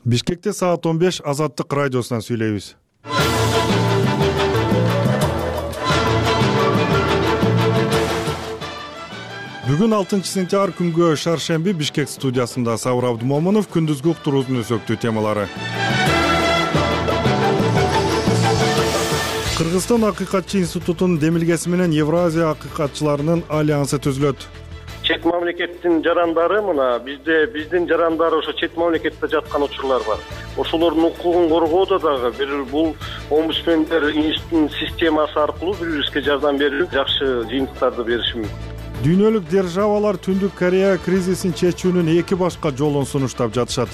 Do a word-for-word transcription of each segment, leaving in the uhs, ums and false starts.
Бишкекте саат он беш Азаттык радиосунан сүйлөйбүз. Бүгүн алтынчы сентябрь күнгө шаршемби Бишкек студиясында Сабыр Абдумомунов күндүзгү уктуруунун өзөктүү темалары. Кыргызстан акыйкатчы институтунун демилгеси менен Евразия акыйкатчыларынын альянсы түзүлөт. Чет мамлекеттин жарандары мына бизде биздин жарандар ошо чет мамлекетте жаткан учурлар бар. Ошолордун укугун коргоодо дагы бир бул омбудсмендер институтунун системасы аркылуу бири-бирибизге жардам берип, жакшы жыйынтыктарды бериши мүмкүн. Дүйнөлүк державалар Түндүк Корея кризисин чечүүнүн эки башка жолун сунуштап жатышат.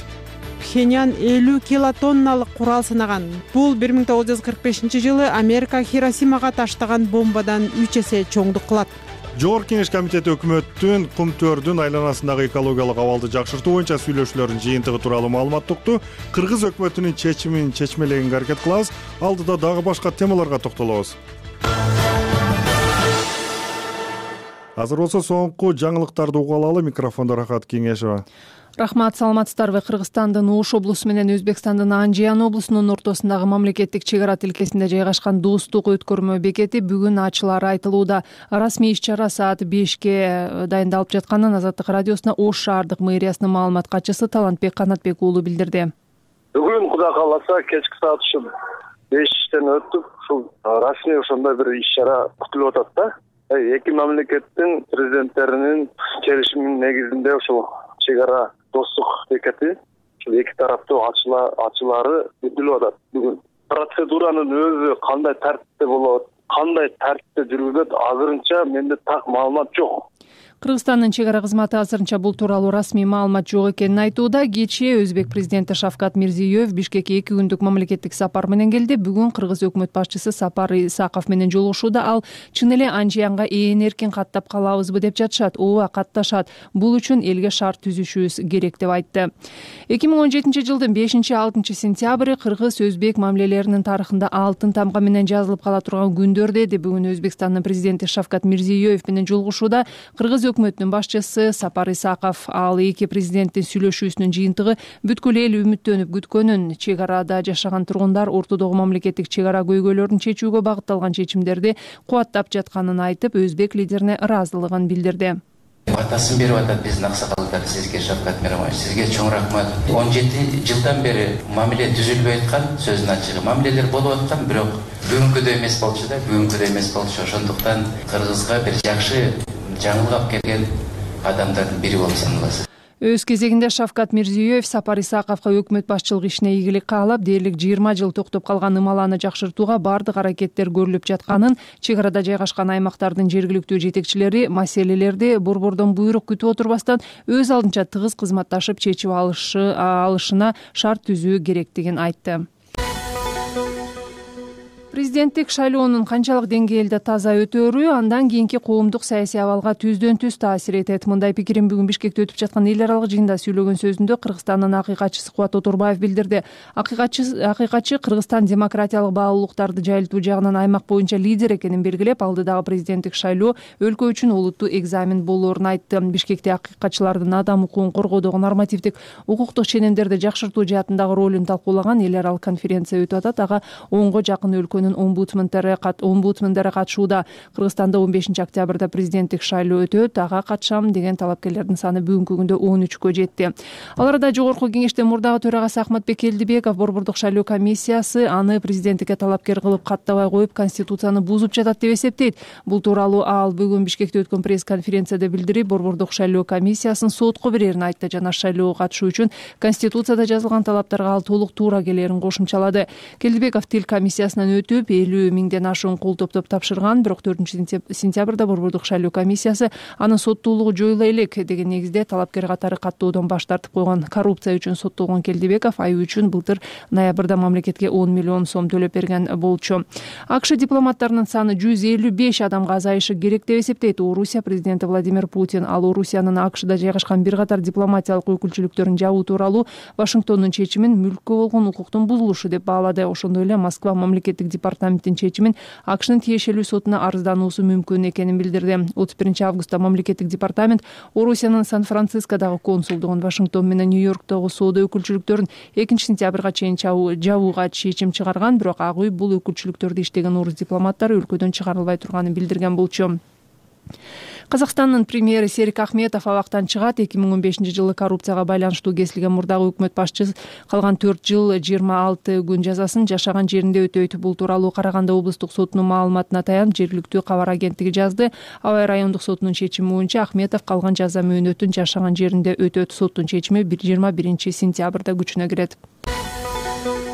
Пхеньян элүү килотонналык курал сынаган. Бул бир миң тогуз жүз кырк бешинчи жылы Америка Хиросимага таштаган бомбадан үч эсе чоңдук кылат. Жогорку Кеңеш комитети өкмөттүн кум төрдүн айланасындагы экологиялык абалды жакшыртуу боюнча сүйлөшүүлөрдүн жыйынтыгы тууралуу маалымат укту. Кыргыз өкмөтүнүн чечимин чечмелегенге аракет кылабыз. Алдыда дагы башка темаларга токтолобуз. Азыр болсо соңку жаңылыктарды угуп алалы. Микрофондо Рахат Кеңешова. Рахмат, саламатсыздарбы? Кыргызстандын Ош облусу менен Өзбекстандын Анжиян облусунун ортосундагы мамлекеттик чек ара тилкесинде жайгашкан достук өткөрмө бекети бүгүн ачылары айтылууда. Расмий иш-чара саат бешке дайындалып жатканын Азаттык радиосуна Ош шаардык мэриясынын маалымат катчысы Талантбек Канатбек уулу билдирди. Бүгүн Кудай кааласа кечки саат ушу бештен өтүп, ушул расмий ошондой бир иш-чара күтүлүп атат да. Эки мамлекеттин президенттеринин келишиминин негизинде ушул чек ара достук бекети ушул эки тараптуу ачылары күтүлүп атат бүгүн. Процедуранын өзү кандай тартипте болот, кандай тартипте жүргүзүлөт, азырынча менде так маалымат жок. Кыргызстандын чек ара кызматы азырынча бул тууралуу расмий маалымат жок экенин айтууда. Кечээ Өзбек президенти Шавкат Мирзиёев Бишкекке эки күндүк мамлекеттик сапар менен келди. Бүгүн Кыргыз өкмөт башчысы Сапар Исаков менен жолугушууда. Ал чын эле Анжиянга ээн эркин каттап калабызбы деп жатышат. Ооба, катташат. Бул үчүн элге шарт түзүшүбүз керек деп айтты. эки миң он жетинчи жылдын бешинчи алтынчы сентябрь Кыргыз-Өзбек мамилелеринин тарыхында алтын тамга менен жазылып кала турган күндөр деди. Бүгүн Өзбекстандын президенти Шавкат Мирзиёев менен жолугушууда Кыргыз өкмөтүнүн башчысы Сапар Исаков. Ал эки президенттин сүйлөшүүсүнүн жыйынтыгы бүткүл эл үмүттөнүп күткөнүн, чек арада жашаган тургундар ортодогу мамлекеттик чек ара көйгөйлөрүн чечүүгө багытталган чечимдерди кубаттап жатканын айтып, өзбек лидерине ыраазылыгын билдирди. Батасын берип атат биздин аксакалдар сизге, Шавкат Миромович, сизге чоң рахмат. он жети жылдан бери мамиле түзүлбөй аткан, сөздүн ачыгы мамилелер болуп аткан, бирок бүгүнкүдөй эмес болчу да, бүгүнкүдөй эмес болчу. Ошондуктан Кыргызга бир жакшы жаңылык алып келген адамдардын бири болуп саналасыз. Өз кезегинде Шавкат Мирзиёев Сапар Исаковго өкмөт башчылык ишине ийгилик каалап, дээрлик жыйырма жыл токтоп калган ымаланы жакшыртууга бардык аракеттер көрүлүп жатканын, чек арада жайгашкан аймактардын жергиликтүү жетекчилери маселелерди борбордон буйрук күтүп отурбастан өз алдынча тыгыз кызматташып чечип алышы алышына шарт түзүү керектигин айтты. Президенттик шайлоонун канчалык деңгээлде таза өтөөрү андан кийинки коомдук саясий абалга түздөн түз таасир этет. Мындай пикирин бүгүн Бишкекте өтүп жаткан эл аралык жыйында сөйлөгөн сөзүндө Кыргызстандын акыйкатчысы Кубат Отурбаев билдирди. Акыйкатчы акыйкатчы Кыргызстан демократиялык баалуулуктарды жайылтуу жагынан аймак боюнча лидер экенин белгилеп, алдыдагы президенттик шайлоо өлкө үчүн олуттуу экзамен болоорун айтты. Бишкекте акыйкатчылардын адам укугун коргоодогу нормативдик укуктук ченемдерди жакшыртуу жаатындагы ролун талкуулаган эл аралык конференция өтүп атат. Ага онго жакын өлкөнүн омбудсмендери омбудсмендери катышууда. Кыргызстанда он бешинчи октябрда президенттик шайлоо өтөт. Ага катышам деген талапкерлердин саны бүгүнкү күндө он үчкө жетти. Ал арада Жогорку Кеңештин мурдагы төрагасы Ахматбек Келдибеков борбордук шайлоо комиссиясы аны президенттикке талапкер кылып каттабай коюп, конституцияны бузуп жатат деп эсептейт. Бул тууралуу ал бүгүн Бишкекте өткөн пресс-конференцияда билдирип, борбордук шайлоо комиссиясын сотко берерин айтты. Жана шайлоого катышуу үчүн конституцияда жазылган талаптарга ал толук туура келерин кошумчалады. Келдибеков тил комиссиясынан өтүп элүү миңден ашуун кол топтоп тапшырган, бирок төртүнчү сентябрда борбордук шайлоо комиссиясы анын соттуулугу жоюла элек деген негизде талапкер катары каттоодон баш тартып койгон. Коррупция үчүн соттолгон Келдибеков ай үчүн былтыр ноябрда мамлекетке он миллион сом төлөп берген болчу. АКШ дипломаттарынын саны жүз элүү беш адамга азайышы керек деп эсептейт Орусия президенти Владимир Путин. Ал Орусиянын АКШда жайгашкан бир катар дипломатиялык өкүлчүлүктөрүн жабуу тууралуу Вашингтондун чечимин мүлккө болгон укуктун бузулушу деп баалады. Ошондой эле Москва мамлекеттик департаментинин чечимин акшнын тиешелүү сотуна арыздануусу мүмкүн экенин билдирди. отуз биринчи августта мамлекеттик департамент Орусиянын Сан-Францискодогу консулдугун, Вашингтон менен Нью-Йорктогу соода өкүлчүлүктөрүн экинчи сентябрга чейин жабууга чечим чыгарган, бирок ак үй бул өкүлчүлүктөрдү иштеген орус дипломаттары өлкөдөн чыгарылбай турганын билдирген болчу. Казакстандын премьери Серик Ахметов абактан чыгат. эки миң он бешинчи жылы коррупцияга байланыштуу кесилген мурдагы өкмөт башчысы калган төрт жыл жыйырма алты күн жазасын жашаган жеринде өтөйт. Бул тууралуу Караганда облустук сотунун маалыматына таянып жергиликтүү кабар агенттиги жазды. Абай райондук сотунун чечими боюнча Ахметов калган жаза мөөнөтүн жашаган жеринде өтөт. Соттун чечими жыйырма биринчи сентябрда күчүнө кирет.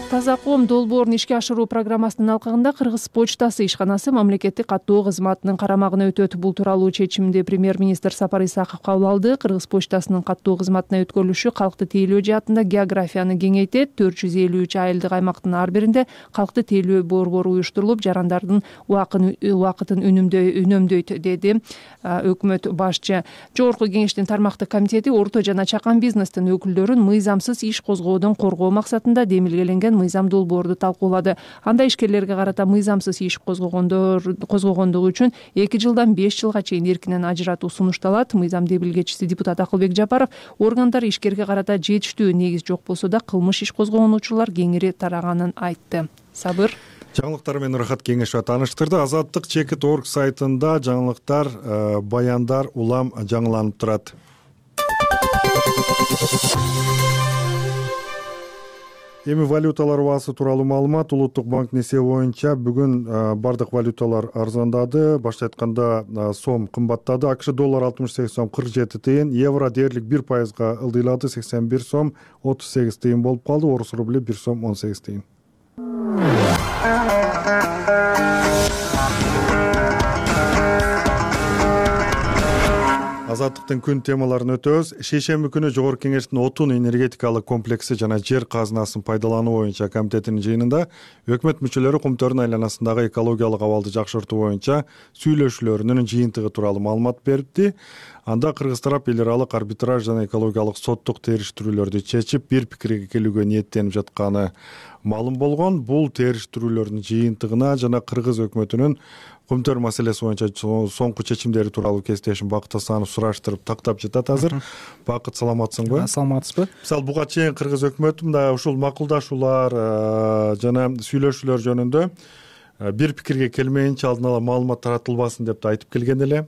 Таза коом долбоорун ишке ашыруу программасынын алкагында Кыргыз почтасы ишканасы мамлекеттик каттоо кызматынын карамагына өтөт. Бул тууралуу чечимди премьер-министр Сапар Исаков кабыл алды. Кыргыз почтасынын каттоо кызматына өткөрүлүшү калкты тейлөө жаатында географияны кеңейтет. төрт жүз элүү үч айылдык аймактын ар биринде калкты тейлөө борбору уюштурулуп, жарандардын убакытын үнөмдөйт, деди өкмөт башчы. Жогорку кеңештин тармактык комитети орто жана чакан бизнестин өкүлдөрүн мыйзамсыз иш козгоодон коргоо максатында демилгеленген мыйзам долбоорду талкуулады. Анда ишкерлерге карата мыйзамсыз иш козгогондор козгогондугу үчүн эки жылдан беш жылга чейин эркинен ажыратуу сунушталат. Мыйзам демилгечиси депутат Акылбек Жапаров органдар ишкерге карата жетиштүү негиз жок болсо да кылмыш иш козгогон учурлар кеңири тараганын айтты. Сабыр жаңылыктар менен Рахат Кеңешова тааныштырды. Азаттык чекит точка орг сайтында жаңылыктар, баяндар улам жаңыланып турат. Эми валюталар баасы тууралуу маалымат. Улуттук банктын эсеби боюнча бүгүн бардык валюталар арзандады. Башка айтканда сом кымбаттады. АКШ доллар алтымыш сегиз сом кырк жети тыйын, евро дээрлик бир пайызга ылдыйлады, сексен бир сом отуз сегиз тыйын болуп калды. Орус рубли бир сом он сегиз тыйын. Азаттыктын күн темаларын өтөбүз. Шейшемби күнү Жогорку Кеңештин отун энергетикалык комплекси жана жер казынасын пайдалануу боюнча комитетинин жыйынында өкмөт мүчөлөрү Кумтөрдүн айланасындагы экологиялык абалды жакшыртуу боюнча сүйлөшүүлөрүнүн жыйынтыгы тууралуу маалымат берди. Анда кыргыз тарап эл аралык арбитраж жана экологиялык соттук териштирүүлөрдү чечип, бир пикирге келүүгө ниеттенип жатканы маалым болгон. Бул териштирүүлөрдүн жыйынтыгына жана кыргыз өкмөтүнүн Кумтөр маселеси боюнча соңку чечимдери тууралуу кесиптешим Бакыт Асанов сураштырып тактап жатат азыр. Бакыт, саламатсыңбы? Саламатсызбы? Мисалы буга чейин кыргыз өкмөтү мындай ушул макулдашуулар жана сүйлөшүүлөр жөнүндө бир пикирге келмейинче алдын ала маалымат таратылбасын деп да айтып келген эле.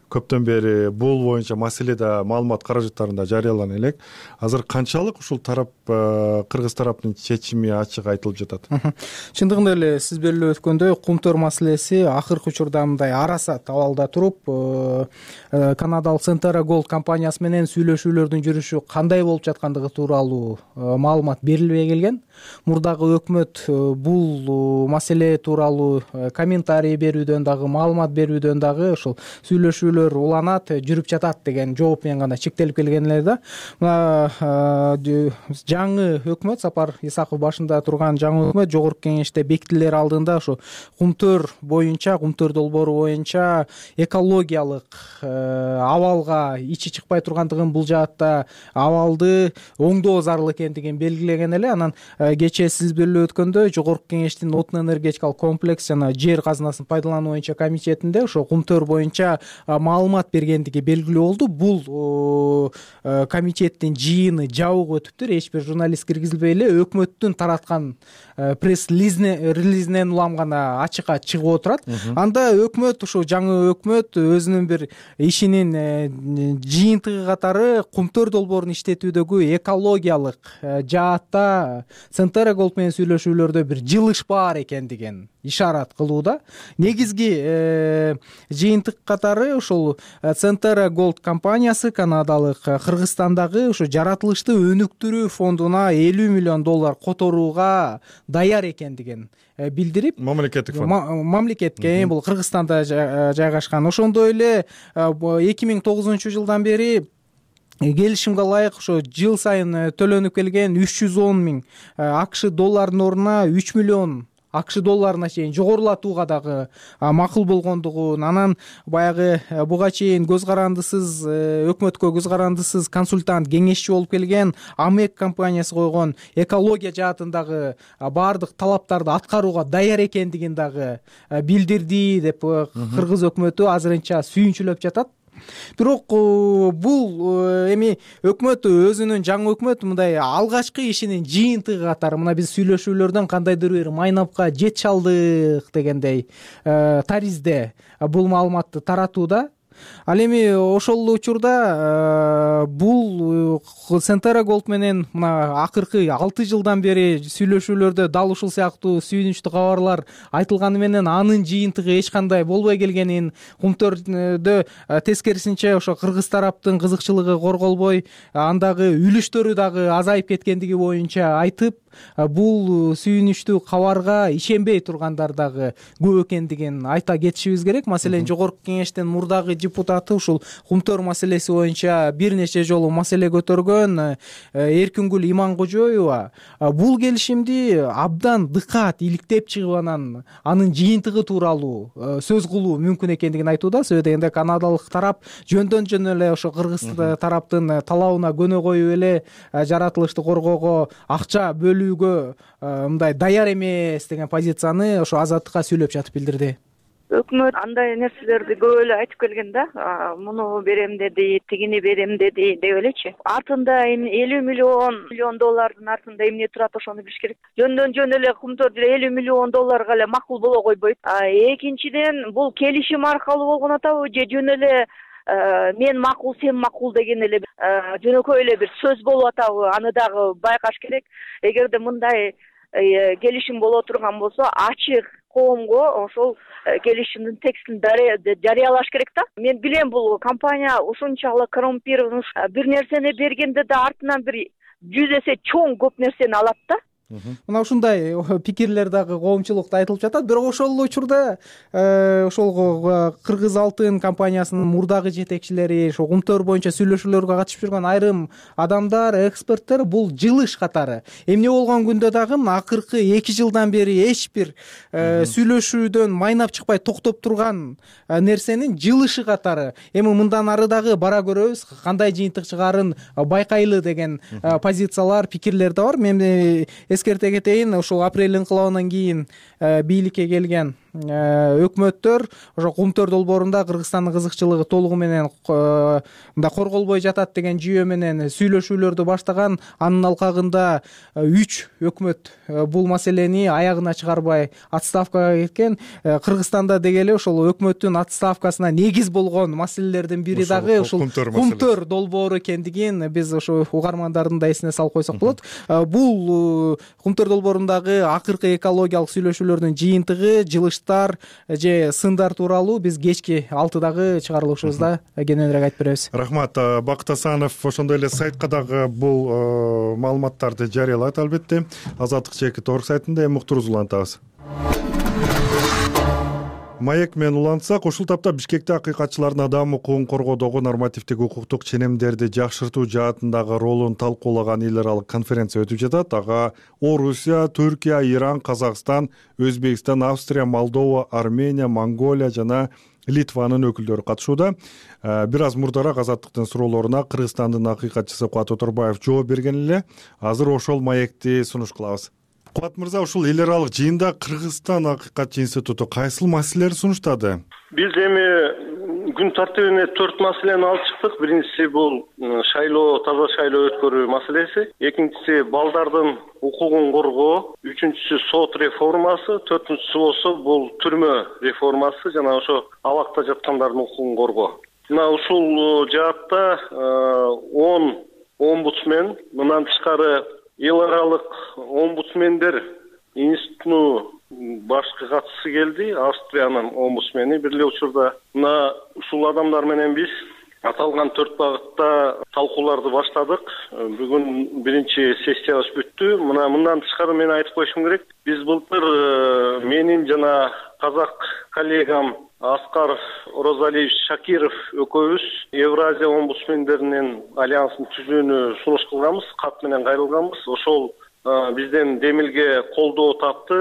Көптөн бери бул боюнча маселеде маалымат каражаттарында жарыялана элек. Азыр канчалык ушул тарап кыргыз тараптын чечими ачык айтылып жатат? Чындыгында эле сиз белгилеп өткөндөй, Кумтөр маселеси акыркы учурда мындай арасат абалда туруп, Канадалык Centera Gold компаниясы менен сүйлөшүүлөрдүн жүрүшү кандай болуп жаткандыгы тууралуу маалымат берилбей келген. Мурдагы өкмөт бул маселе тууралуу комментарий берүүдөн дагы, маалымат берүүдөн дагы ушул сүйлөшүү уланат, жүрүп жатат деген жооп менен гана чектелип келген эле да. Жаңы өкмөт, Сапар Исаков башында турган жаңы өкмөт Жогорку Кеңеште бекитилер алдында ушу Кумтөр боюнча, Кумтөр долбоору боюнча экологиялык абалга ичи чыкпай тургандыгын, бул жаатта абалды оңдоо зарыл экендигин белгилеген эле. Анан кечээ сиз белгилеп өткөндөй, Жогорку Кеңештин отун энергетикалык комплекс жана жер казынасын пайдалануу боюнча комитетинде ошо Кумтөр боюнча маалымат бергендиги белгилүү болду. Бул комитеттин жыйыны жабык өтүптүр. Эч бир журналист киргизилбей эле өкмөттүн тараткан пресс-релизинен улам гана ачыкка чыгып отурат. Анда өкмөт, ушул жаңы өкмөт өзүнүн бир ишинин жыйынтыгы катары Кумтөр долбоорун иштетүүдөгү экологиялык жаатта Centera Gold менен сүйлөшүүлөрдө бир жылыш бар экендигин ишарат кылууда. Негизги жыйынтык катары ушул Centera Gold компаниясы Канадалык Кыргызстандагы ушу жаратылышты өнүктүрүү фондуна элүү миллион доллар которууга даяр экендигин билдирип, мамлекеттик фонд мамлекетке, бул Кыргызстанда жайгашкан. Ошондой эле эки миң тогузунчу жылдан бери келишимге ылайык ошо жыл сайын төлөнүп келген үч жүз он миң АКШ доллардын ордуна үч миллион акш долларына чейин жогорулатууга дагы макул болгондугун, анан баягы буга чейин көз карандысыз өкмөткө көз карандысыз консультант, кеңешчи болуп келген АМЭК компаниясы койгон экология жаатындагы баардык талаптарды аткарууга даяр экендигин дагы билдирди деп кыргыз өкмөтү азырынча сүйүнчүлөп жатат. Бирок бул эми өкмөт өзүнүн жаңы өкмөт мындай алгачкы ишинин жыйынтыгы катары мына биз сүйлөшүүлөрдөн кандайдыр бир майнапка жете алдык дегендей таризде бул маалыматты таратууда. Ал эми ошол учурда бул Centerra Gold менен мына акыркы алты жылдан бери сүйлөшүүлөрдө дал ушул сыяктуу сүйүнүчтүү кабарлар айтылганы менен анын жыйынтыгы эч кандай болбой келгенин, Кумтөрдө тескерисинче ошо кыргыз тараптын кызыкчылыгы корголбой, андагы үлүштөрү дагы азайып кеткендиги боюнча айтып, бул сүйүнүчтүү кабарга ишенбей тургандар дагы көп экендигин айта кетишибиз керек. Маселен, жогорку кеңештин мурдагы депутаты ушул Кумтөр маселеси боюнча бир нече жолу маселе көтөргөн Эркингүл Иманкожоева бул келишимди абдан дыкаат иликтеп чыгып анан анын жыйынтыгы тууралуу сөз кылуу мүмкүн экендигин айтууда. Себеби дегенде канадалык тарап жөндөн жөн эле ошо кыргыз тараптын талабына көнө коюп эле жаратылышты коргоого акча бөлүүгө мындай даяр эмес деген позицияны ошо Азаттыкка сүйлөп жатып билдирди. Өкмөт андай нерселерди көп эле айтып келген да, муну берем деди, тигини берем деди деп элечи. Артында эми элүү миллион миллион доллардын артында эмне турат, ошону билиш керек. Жөндөн жөн эле Кумтөрдө элүү миллион долларга эле макул боло койбойт. Экинчиден, бул келишим аркылуу болгон атабы же жөн эле мен макул, сен макул деген эле жөнөкөй эле бир сөз болуп атабы, аны дагы байкаш керек. Эгерде мындай келишим боло турган болсо, ачык коомго ошол келишимдин текстин жарыялаш керек да. Мен билем, бул компания ушунчалык коррумпирован, бир нерсени бергенде да артынан бир жүз эсе чоң көп нерсени алат да. Мына ушундай пикирлер дагы коомчулукта айтылып жатат. Бирок ошол учурда ошол Кыргыз Алтын компаниясынын мурдагы жетекчилери, ошо Кумтөр боюнча сүйлөшүүлөргө катышып жүргөн айрым адамдар, эксперттер бул жылыш катары. Эмне болгон күндө дагы акыркы эки жылдан бери эч бир сүйлөшүүдөн майнап чыкпай токтоп турган нерсенин жылышы катары. Эми мындан ары дагы бара көрөбүз, кандай жыйынтык чыгарын байкайлы деген позициялар, пикирлер да бар. Мен эскерте кетейин, ошол апрель инкылабынан кийин бийликке келген өкмөттөр ошо Кумтөр долбоорунда Кыргызстандын кызыкчылыгы толугу менен мындай корголбой жатат деген жүйө менен сүйлөшүүлөрдү баштаган. Анын алкагында үч өкмөт бул маселени аягына чыгарбай отставкага кеткен. Кыргызстанда деги эле ошол өкмөттүн отставкасына негиз болгон маселелердин бири дагы ушул Кумтөр долбоору экендигин биз ошо угармандардын да эсине салып койсок болот. Бул Кумтөр долбоорундагы акыркы экологиялык сүйлөшүүлөрдүн жыйынтыгы, жылыш же сындар тууралуу биз кечки алтыдагы чыгарылышыбызда кененирээк айтып беребиз. Рахмат. Бакыт Асанов ошондой эле сайтка дагы бул маалыматтарды жарыялайт албетте. Азаттык чекит орг сайтында эми уктурубузду улантабыз. Маек менен улантсак, ушул тапта Бишкекте акыйкатчылардын адам укугун коргоодогу нормативдик укуктук ченемдерди жакшыртуу жаатындагы ролун талкуулаган эл аралык конференция өтүп жатат. Ага Орусия, Түркия, Иран, Казакстан, Өзбекстан, Австрия, Молдова, Армения, Монголия жана Литванын өкүлдөрү катышууда. Бир аз мурдараак Азаттыктын суроолоруна Кыргызстандын акыйкатчысы Кубат Оторбаев жооп берген эле. Азыр ошол маекти сунуш кылабыз. Кубат мырза, ушул эл аралык жыйында Кыргызстан акыйкатчы институту кайсыл маселелерди сунуштады? Биз эми күн тартибине төрт маселени алып чыктык. Биринчиси бул шайлоо, таза шайлоо өткөрүү маселеси. Экинчиси балдардын укугун коргоо. Үчүнчүсү сот реформасы. Төртүнчүсү болсо бул түрмө реформасы жана ошо абакта жаткандардын укугун коргоо. Мына ушул жаатта он омбудсмен, мындан тышкары эл аралык омбудсмендер институтунун башкы катчысы келди, Австриянын омбудсмени. Бир эле учурда мына ушул адамдар менен биз аталган төрт багытта талкууларды баштадык. Бүгүн биринчи сессиябыз бүттү. Мына мындан тышкары мен айтып коюшум керек. Биз былтыр менин жана казак коллегам Аскар Розалиевич Шакиров экөөбүз Евразия омбудсмендеринин альянсын түзүүнү сунуш кылганбыз, кат менен кайрылганбыз. Ошол бизден демилге колдоо тапты.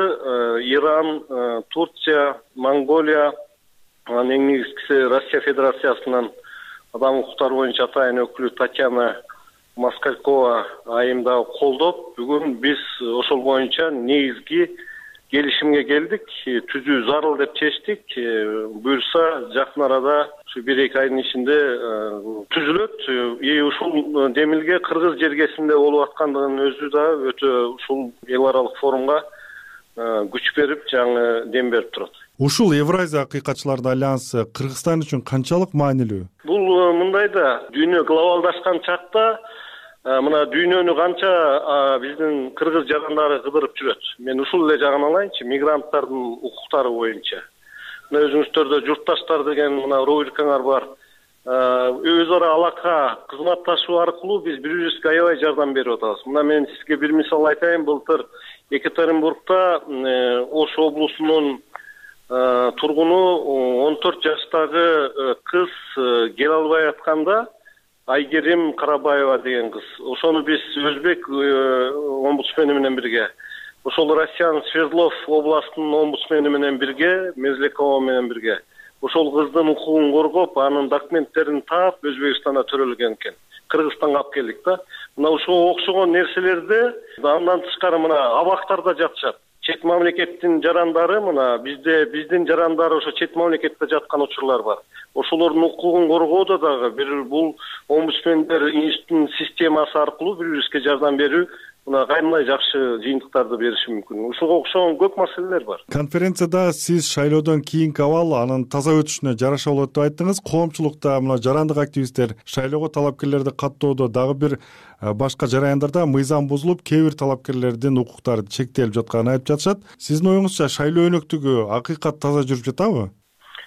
Иран, Турция, Монголия, анан эң негизгиси Россия Федерациясынын адам укуктары боюнча атайын өкүлү Татьяна Москалькова айым дагы колдоп, бүгүн биз ошол боюнча негизги келишимге келдик. Түзүү зарыл деп чечтик. Буюрса жакын арада ушу бир эки айдын ичинде түзүлөт. И ушул демилге кыргыз жергесинде болуп аткандыгынын өзү да өтө ушул эл аралык форумга күч берип, жаңы дем берип турат. Ушул Евразия акыйкатчылардын альянсы Кыргызстан үчүн канчалык маанилүү? Бул мындай да, дүйнө глобалдашкан чакта мына дүйнөнү канча биздин кыргыз жарандары кыдырып жүрөт. Мен ушул эле жагын алайынчы, мигранттардын укуктары боюнча. Мына өзүңүздөрдө журтташтар деген мына рубрикаңар бар. Өз ара алака, кызматташуу аркылуу биз бири-бирибизге аябай жардам берип атабыз. Мына мен сизге бир мисал айтайын. Былтыр Екатеринбургда Ош облусунун тургуну он төрт жаштагы кыз келе албай атканда, Айгерим Карабаева деген кыз. Ошону биз өзбек омбудсмени менен бирге, ошол Россиянын Свердлов областынын омбудсмени менен бирге, Мезлекова менен бирге ошол кыздын укугун коргоп, анын документтерин таап Өзбекстанда төрөлгөн экен. Кыргызстанга алып келдик да. Мына ошого окшогон нерселерди андан тышкары мына абактарда жатышат. Чет мамлекеттин жарандары мына бизде биздин жарандары ошо чет мамлекетте жаткан учурлар бар. Ошолордун укугун коргоодо дагы бир бул омбудсмендер институтунун системасы аркылуу бири-бирибизге жардам берүү мына кайнай жакшы жыйынтыктарды бериши мүмкүн. Ушуга окшогон көп маселелер бар. Конференцияда сиз шайлоодон кийинки абал анын таза өтүшүнө жараша болот деп айттыңыз. Коомчулукта мына жарандык активисттер шайлоого талапкерлерди каттоодо дагы бир башка жараяндарда мыйзам бузулуп, кээ бир талапкерлердин укуктары чектелип жатканын айтып жатышат. Сиздин оюңузча шайлоо өнөктүгү акыйкат таза жүрүп жатабы?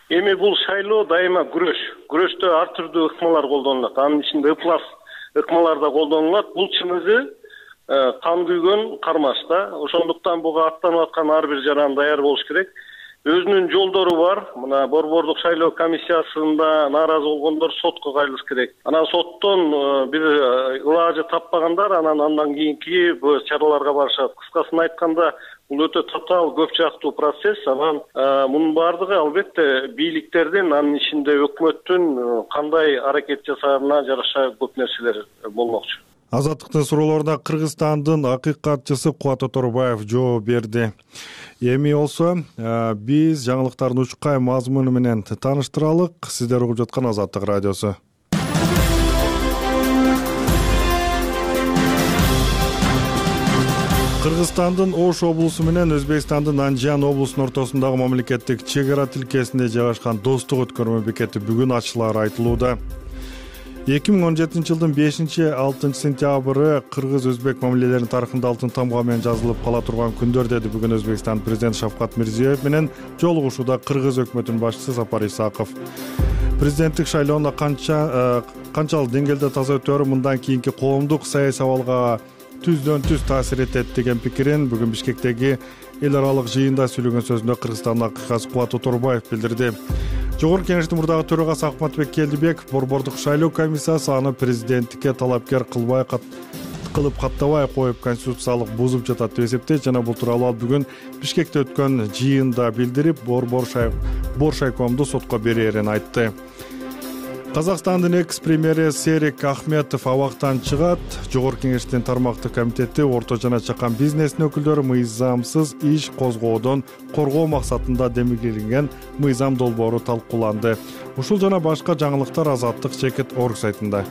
Эми бул шайлоо дайыма күрөш. Күрөштө ар түрдүү ыкмалар колдонулат. Анын ичинде ыплас ыкмалар да колдонулат. Бул чыныгы кан күйгөн кармаш да. Ошондуктан буга аттанып аткан ар бир жаран даяр болуш керек. Өзүнүн жолдору бар. Мына Борбордук шайлоо комиссиясында нааразы болгондор сотко кайрылыш керек. Анан соттон бир ылажы таппагандар анан андан кийинки бул чараларга барышат. Кыскасын айтканда, бул өтө татаал көп жактуу процесс. Анан мунун баардыгы албетте бийликтердин, анын ичинде өкмөттүн кандай аракет жасаганына жараша көп нерселер болмокчу. Азаттыктын суроолоруна Кыргызстандын акыйкатчысы Кубат Оторбаев жооп берди. Эми болсо биз жаңылыктардын учкай мазмуну менен тааныштыралык. Сиздер угуп жаткан Азаттык радиосу. Кыргызстандын Ош облусу менен Өзбекстандын Анжан облусунун ортосундагы мамлекеттик чек ара тилкесинде жайгашкан Достук өткөрмө бекети бүгүн ачылаары айтылууда. эки миң он жетинчи жылдын бешинчи алтынчы сентябры кыргыз-өзбек мамилелеринин тарыхында алтын тамга менен жазылып кала турган күндөр, деди бүгүн Өзбекстан президенти Шавкат Мирзиёев менен жолугушууда кыргыз өкмөтүнүн башчысы Сапар Исаков. Президенттик шайлоону канча канчалык деңгээлде таза өтөөрү мындан кийинки коомдук саясий абалга түздөн түз таасир этет деген пикирин бүгүн Бишкектеги эл аралык жыйында сүйлөгөн сөзүндө Кыргызстандын акыйкатчысы Кубат Оторбаев билдирди. Жогорку Кеңештин мурдагы төрагасы Акматбек Келдибек Борбордук шайлоо комиссиясы аны президенттикке талапкер кылбай кылып каттабай коюп конституциялык бузуп жатат деп эсептейт жана бул тууралуу ал бүгүн Бишкекте өткөн жыйында билдирип, Борбор шайкомду сотко берээрин айтты. Казакстандын экс-премьери Серик Ахметов абактан чыгат. Жогорку Кеңештин тармактык комитети орто жана чакан бизнестин өкүлдөрү мыйзамсыз иш козгоодон коргоо максатында демилгеленген мыйзам долбоору талкууланды. Ушул жана башка жаңылыктар Азаттык чекит орг сайтында.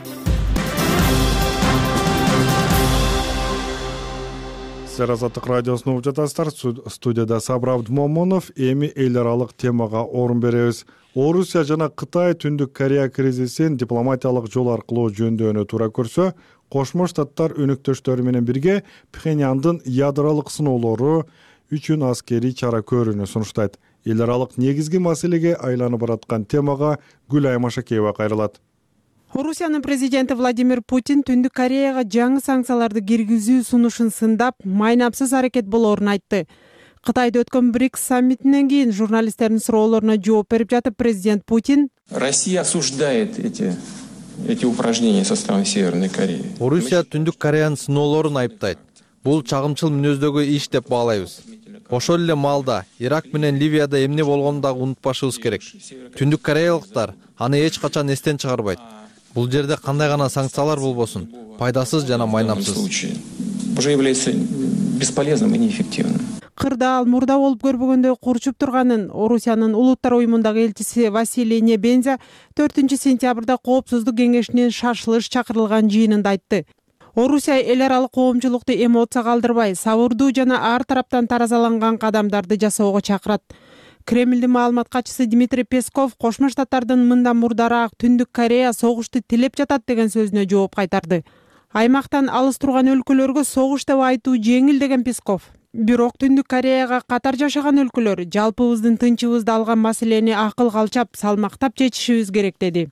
Сиздер Азаттык радиосун угуп жатасыздар. Студияда Сабыр Абдмомунов. Эми эл аралык темага орун беребиз. Орусия жана Кытай Түндүк Корея кризисин дипломатиялык жол аркылуу жөндөөнү туура көрсө, Кошмо Штаттар өнөктөштөрү менен бирге Пхеньяндын ядролук сыноолору үчүн аскерий чара көрүүнү сунуштайт. Эл аралык негизги маселеге айланып бараткан темага Гүлай Машакеева кайрылат. Орусиянын президенти Владимир Путин Түндүк Кореяга жаңы санкцияларды киргизүү сунушун сындап, майнапсыз аракет болоорун айтты. Кытайда өткөн БРИКС саммитинен кийин журналисттердин суроолоруна жооп берип жатып президент Путин: Россия осуждает эти эти упражнения со стороны Северной Кореи. Орусия Түндүк Кореянын сыноолорун айыптайт. Бул чагымчыл мүнөздөгү иш деп баалайбыз. Ошол эле маалда Ирак менен Ливияда эмне болгонун дагы унутпашыбыз керек. Түндүк кореялыктар аны эч качан эстен чыгарбайт. Бул жерде кандай гана санкциялар болбосун, пайдасыз жана майнапсыз. Уже является бесполезным и неэффективным. Кырда ал мурда болуп көрбөгөндөй курчуп турганын Орусиянын Улуттар уюмундагы элчиси Василий Небензя төртүнчү сентябрда Коопсуздук кеңешинин шашылыш чакырылган жыйынында айтты. Орусия эл аралык коомчулукту эмоция калтырбай, сабырдуу жана ар тараптан таразаланган кадамдарды жасоого чакырат. Кремлдин маалымат катчысы Дмитрий Песков Кошмо Штаттардын мындан мурдараак Түндүк Корея согушту тилеп жатат деген сөзүнө жооп кайтарды. Аймактан алыс турган өлкөлөргө согуш деп айтуу жеңил деген Песков. Бирок Түндүк Кореяга катар жашаган өлкөлөр жалпыбыздын тынчыбызды алган маселени акыл калчап, салмактап чечишибиз керек деди.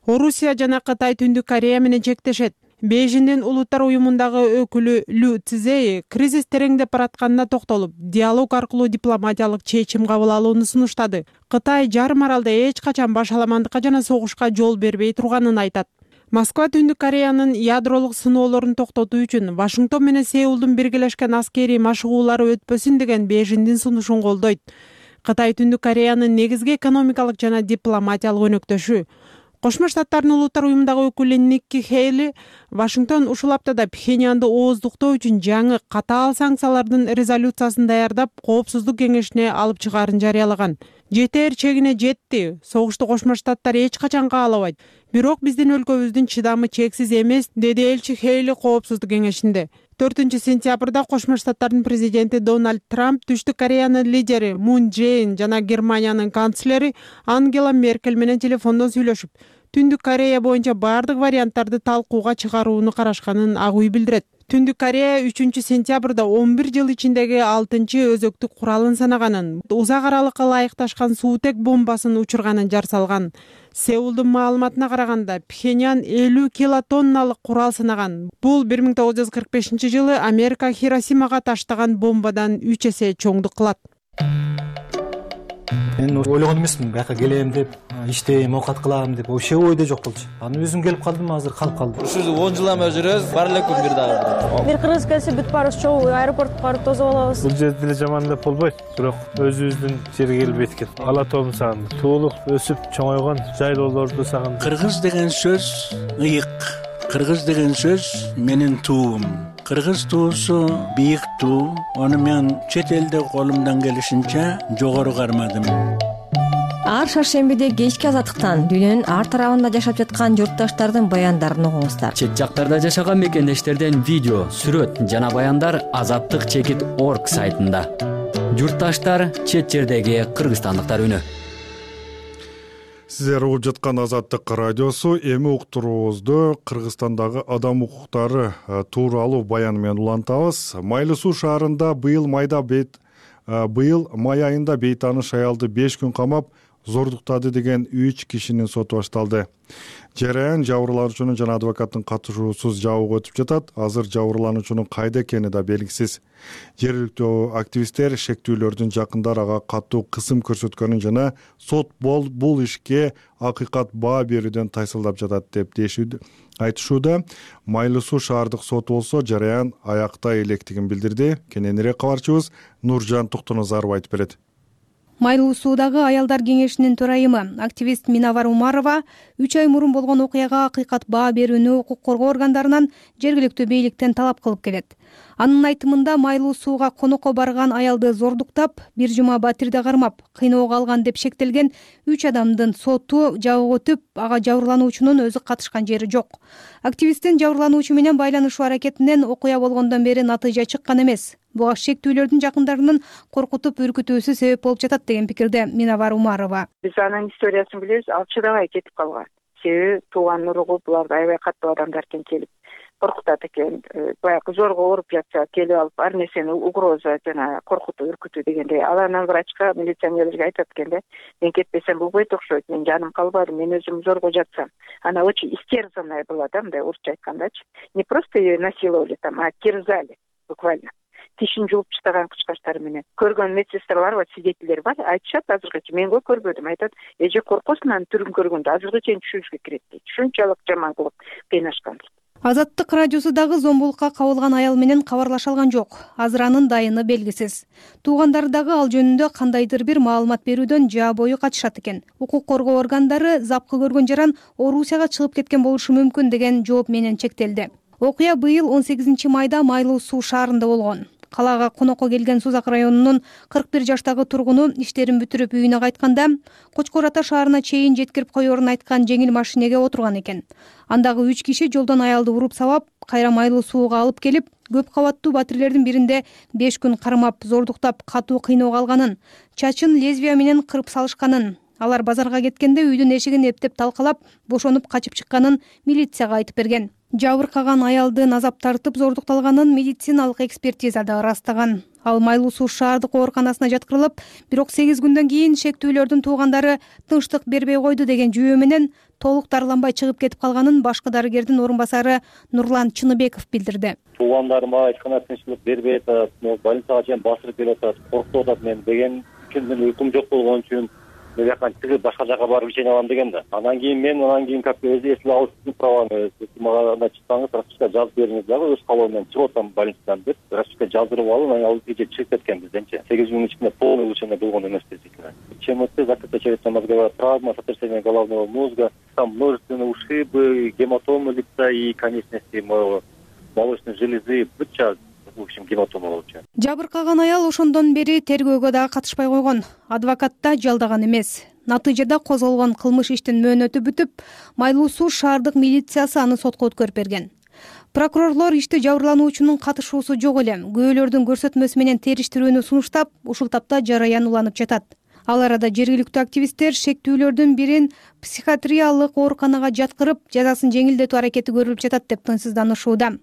Орусия жана Кытай Түндүк Корея менен чектешет. Бейжиңдин Улуттар уюмундагы өкүлү Лю Цзэй кризис тереңдеп баратканына токтолуп, диалог аркылуу дипломатиялык чечим кабыл алууну сунуштады. Кытай жарым аралда эч качан башаламандыкка жана согушка жол бербей турганын айтат. Москва Түндүк Кореянын ядролук сыноолорун токтотуу үчүн Вашингтон менен Сеулдун биргелешкен аскерий машыгуулары өтпөсүн деген Бейжиңдин сунушун колдойт. Кытай Түндүк Кореянын негизги экономикалык жана дипломатиялык өнөктөшү. Кошмо Штаттардын Улуттар уюмундагы өкүлү Никки Хейли Вашингтон ушул аптада Пхеньянды ооздуктоо үчүн жаңы катаал санкциялардын резолюциясын даярдап, Коопсуздук кеңешине алып чыгаарын жарыялаган. Жетер чегине жетти. Согушту Кошмо Штаттар эч качан каалабайт. Бирок биздин өлкөбүздүн чыдамы чексиз эмес, деди элчи Хейли Коопсуздук кеңешинде. төртүнчү сентябрда Кошмо Штаттардын президенти Дональд Трамп Түштүк Кореянын лидери Мун Джейн жана Германиянын канцлери Ангела Меркель менен телефондон сүйлөшүп, Түндүк Корея боюнча бардык варианттарды талкууга чыгарууну карашканын ак үй билдирет. Түндүк Корея үчүнчү сентябрда он бир жыл ичиндеги алтынчы өзөктүк куралын санаганын, узак аралыкка ылайыкташкан суутек бомбасын учурганын жар салган. Сеулдун маалыматына караганда, Пхеньян элүү килотонналык курал санаган. Бул бир миң тогуз жүз кырк бешинчи жылы Америка Хиросимага таштаган бомбадан үч эсе чоңдук кылат. Мен ойлогон эмесмин, бияка келем деп, иштейм, оокат кылам деп, вообще ойдо жок болчу. Анан өзүм келип калдым, азыр калып калдым. Ушул он жыл эме жүрөбүз, бар эле күн бир дагы. Бир кыргыз келсе бүт баарыбыз чогуу аэропортко барып тосуп алабыз. Бул жерде деле жаман деп болбойт, бирок өзүбүздүн жерге келип эткет. Ала тоом сагындык, туулук, өсүп чоңойгон жайлоолорду сагындык. Кыргыз деген сөз ыйык. Кыргыз деген сөз менин туум. Кыргыз туусу бийик туу. Аны мен чет элде колумдан келишинче жогору кармадым. Ар шаршембиде кечки азаттыктан дүйнөнүн ар тарабында жашап жаткан журтташтардын баяндарын угуңуздар. Чет жактарда жашаган мекендештерден видео, сүрөт жана баяндар азаттык чекит орг сайтында. Журтташтар, чет жердеги кыргызстандыктар үнү. Сиздер угуп жаткан Азаттык радиосу. Эми уктуруубузду Кыргызстандагы адам укуктары тууралуу баян менен улантабыз. Майлуу Суу шаарында быйыл майда бейт быйыл май айында бейтаныш аялды беш күн камап зордуктады деген үч кишинин соту башталды. Жараян жабырлануучунун жана адвокаттын катышуусуз жабууга өтүп жатат. Азыр жабырлануучунун кайда экени да белгисиз. Жергиликтүү активисттер шектүүлөрдүн жакындары ага катуу кысым көрсөткөнүн жана сот бол бул ишке акыйкат баа берүүдөн тайсалдап жатат деп айтышууда. Майлуу Суу шаардык соту болсо жараян аякта электигин билдирди. Кененирээк кабарчыбыз Нуржан Туктуназаров айтып берет. Майлуу Суудагы аялдар кеңешинин төрайымы активист Минавар Умарова үч ай мурун болгон окуяга акыйкат баа берүүнү укук коргоо органдарынан жергиликтүү бийликтен талап кылып келет. Анын айтымында Майлуу Сууга конокко барган аялды зордуктап, бир жума батирде кармап, кыйноого алган деп шектелген үч адамдын соту жабык өтүп, ага жабырлануучунун өзү катышкан жери жок. Активисттин жабырлануучу менен байланышуу аракетинен окуя болгондон бери натыйжа чыккан эмес. Буга шектүүлөрдүн жакындарынын коркутуп үркүтүүсү себеп болуп жатат деген пикирде Минавар Умарова. Биз анын историясын билебиз, ал чыдабай кетип калган. Себеби тууган уругу буларды аябай катуу адамдар экен, келип коркутат экен. Баягы зорго ооруп жатса келип алып ар нерсени угроза жана коркутуу үркүтүү дегендей. Ал анан врачка, милиционерлерге айтат экен да, мен кетпесем болбойт окшойт, мен жаным калбады, мен өзүм зорго жатсам. Она очень истерзанная была, да, мындай орусча айткандачы. Не просто ее насиловали там, а терзали буквально. Тишин жууп таштаган кычкачтары менен. Көргөн медсестралар бар, свидетельдер бар, айтышат азыркыча. Мен го көрбөдүм, айтат, эже коркосуң анын түрүн көргөндө азыркыча түшүнүшкө кирет дейт. Ушунчалык жаман кылып кыйнашкан. Азаттык радиосу дагы зомбулукка кабылган аял менен кабарлаша алган жок. Азыр анын дайыны белгисиз. Туугандары дагы ал жөнүндө кандайдыр бир маалымат берүүдөн жаа бою качышат экен. Укук коргоо органдары запкы көргөн жаран Орусияга чыгып кеткен болушу мүмкүн деген жооп менен чектелди. Окуя быйыл он сегизинчи майда Майлуу Суу шаарында болгон. Калаага конокко келген Сузак районунун кырк бир жаштагы тургуну иштерин бүтүрүп үйүнө кайтканда Кочкор Ата шаарына чейин жеткирип коерун айткан жеңил машинеге отурган экен. Андагы үч киши жолдон аялды уруп сабап, кайра Майлуу Сууга алып келип, көп кабаттуу батирлердин биринде беш күн кармап, зордуктап, катуу кыйноого алганын, чачын лезвия менен кырып салышканын, алар базарга кеткенде үйдүн эшигин эптеп талкалап, бошонуп качып чыкканын милицияга айтып берген. Жабыркаган аялдын азап тартып зордукталганын медициналык экспертиза да ырастаган. Ал Майлуу Суу шаардык ооруканасына жаткырылып, бирок сегиз күндөн кийин шектүүлөрдүн туугандары тынчтык бербей койду деген жүйө менен толук дарыланбай чыгып кетип калганын башкы дарыгердин орун басары Нурлан Чыныбеков билдирди. Туугандарым мага эч кандай тынчтык бербей атат, больницага чейин басырып келип атат, коркутуп атат мен деген үчүн мен уйкум жок болгон үчүн мен жакан чыгып башка жака барып ишене алам деген да. Анан кийин мен анан кийин как өзү эсилип алып праваны мага анда чыксаңыз расписка жазып бериңиз дагы өз калоом менен чыгып атам больницадан деп расписка жаздырып алып анан ал эже чыгып кеткен бизденчи. сегиз күнүн ичинде полный улучшение болгон эмес действительно. ЧМТ, закрытая черепно-мозговая травма, сотрясение головного мозга, там множественные ушибы, гематомы лица и конечности молочной железы, быча в общем гематома болчу. Жабыркаган аял ошондон бери тергөөгө дагы катышпай койгон. Адвокат да жалдаган эмес. Натыйжада козголгон кылмыш иштин мөөнөтү бүтүп, Майлуу Суу шаардык милициясы аны сотко өткөрүп берген. Прокурорлор ишти жабырлануучунун катышуусу жок эле, күбөлөрдүн көрсөтмөсү менен териштирүүнү сунуштап, ушул тапта жараян уланып жатат. Ал арада жергиликтүү активисттер шектүүлөрдүн бирин психиатриялык ооруканага жаткырып, жазасын жеңилдетүү аракети көрүлүп жатат деп тынчсызданышууда.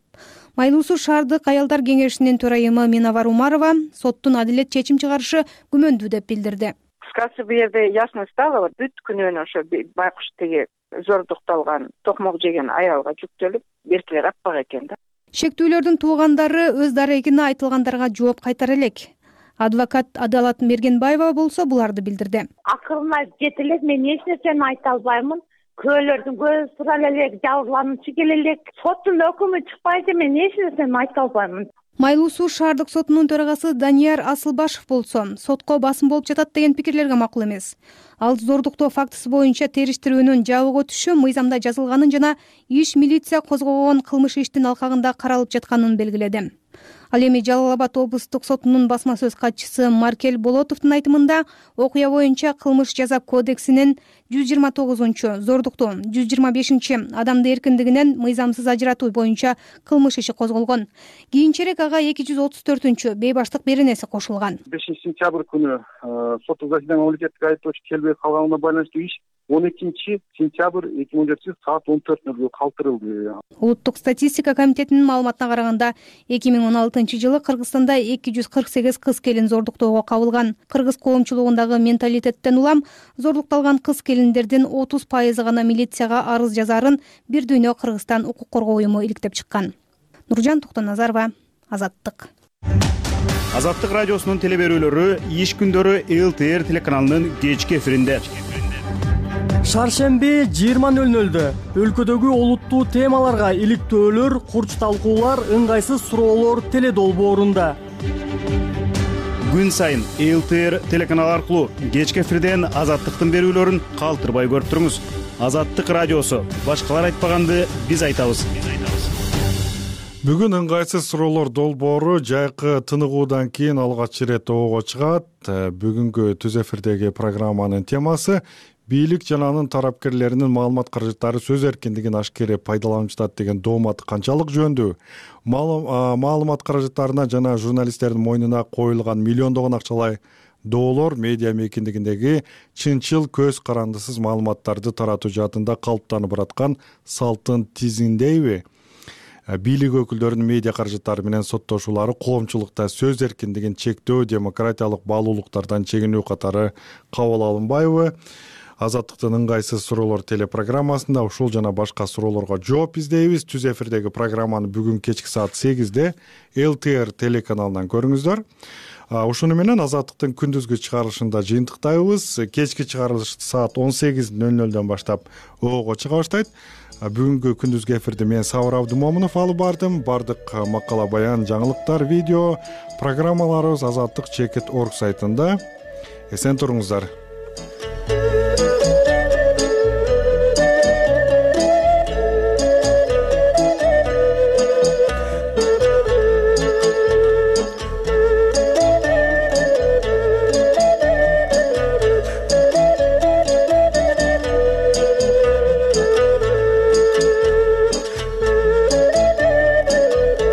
Майлуу Суу шаардык аялдар кеңешинин төрайымы Минавар Умарова соттун адилет чечим чыгарышы күмөндүү деп билдирди. Кыскасы бу жерде ясно стало, бүт күнөөнү ошо байкуш тиги зордукталган, токмок жеген аялга жүктөлүп, беркилер аппак экен да. Шектүүлөрдүн туугандары өз дарегине айтылгандарга жооп кайтара элек. Адвокат Адалат Мергенбаева болсо буларды билдирди. Акырына жете элек, мен эч нерсени айта албаймын. Көөлөрдүн көзү тура элек, жабырлануучу келе элек. Соттун өкүмү чыкпайча мен эч нерсени айта албаймын. Майлуу Суу шаардык сотунун төрагасы Данияр Асылбашев болсо, сотко басым болуп жатат деген пикирлерге макул эмес. Ал зордуктоо фактысы боюнча териштирүүнүн жабык өтүшү мыйзамда жазылганын жана иш милиция козгогон кылмыш иштин алкагында каралып жатканын белгиледи. Ал эми Жалал Абад облустук сотунун басма сөз катчысы Маркел Болотовдун айтымында окуя боюнча кылмыш жаза кодексинин жүз жыйырма тогузунчу зордуктоо, жүз жыйырма бешинчи адамды эркиндигинен мыйзамсыз ажыратуу боюнча кылмыш иши козголгон. Кийинчерээк ага эки жүз отуз төртүнчү бейбаштык беренеси кошулган. бешинчи сентябрь күнү соттук заседание мамлекеттик айыптоочу келбей калганына байланыштуу иш он экинчи сентябрь эки миң он жетинчи саат он төрт нөлгө калтырылды. Улуттук статистика комитетинин маалыматына караганда эки миң он алтынчы жылы Кыргызстанда эки жүз кырк сегиз кыз келин зордуктоого кабылган. Кыргыз коомчулугундагы менталитеттен улам зордукталган кыз келиндердин отуз пайызы гана милицияга арыз жазаарын Бир дүйнө Кыргызстан укук коргоо уюму иликтеп чыккан. Нуржан Токтоназарова, Азаттык. Азаттык радиосунун телеберүүлөрү иш күндөрү Эл Т Р телеканалынын кечки эфиринде. Шаршемби жыйырма нөл нөлдө өлкөдөгү олуттуу темаларга иликтөөлөр, курч талкуулар, ыңгайсыз суроолор теледолбоорунда. Күн сайын Эл Т Р телеканалы аркылуу кечки эфирден Азаттыктын берүүлөрүн калтырбай көрүп туруңуз. Азаттык радиосу. Башкалар айтпаганды биз айтабыз. Бүгүн ыңгайсыз суроолор долбоору жайкы тыныгуудан кийин алгач ирет оого чыгат. Бүгүнкү түз эфирдеги программанын темасы бийлик жана анын тарапкерлеринин маалымат каражаттары сөз эркиндигин ашкере пайдаланып жатат деген доомат канчалык жөндүү? Маалымат каражаттарына жана журналисттердин мойнуна коюлган миллиондогон акчалай доолор медиа мейкиндигиндеги чынчыл көз карандысыз маалыматтарды таратуу жаатында калыптанып бараткан салттын тизиндейби? Бийлик өкүлдөрүнүн медиа каражаттары менен соттошуулары коомчулукта сөз эркиндигин чектөө, демократиялык баалуулуктардан чегинүү катары кабыл алынбайбы? Азаттыктын ыңгайсыз суроолор телепрограммасында ушул жана башка суроолорго жооп издейбиз. Түз эфирдеги программаны бүгүн кечки саат сегизде Эл Т Р телеканалынан көрүңүздөр. Ушуну менен Азаттыктын күндүзгү чыгарылышында жыйынтыктайбыз. Кечки чыгарылыш саат он сегиз нөл нөлдөн баштап оого чыга баштайт. Бүгүнкү күндүзгү эфирди мен Сабыр Абдымомунов алып бардым. Бардык макала, баян, жаңылыктар, видео программаларыбыз азаттык чекит орг сайтында. Эсен туруңуздар.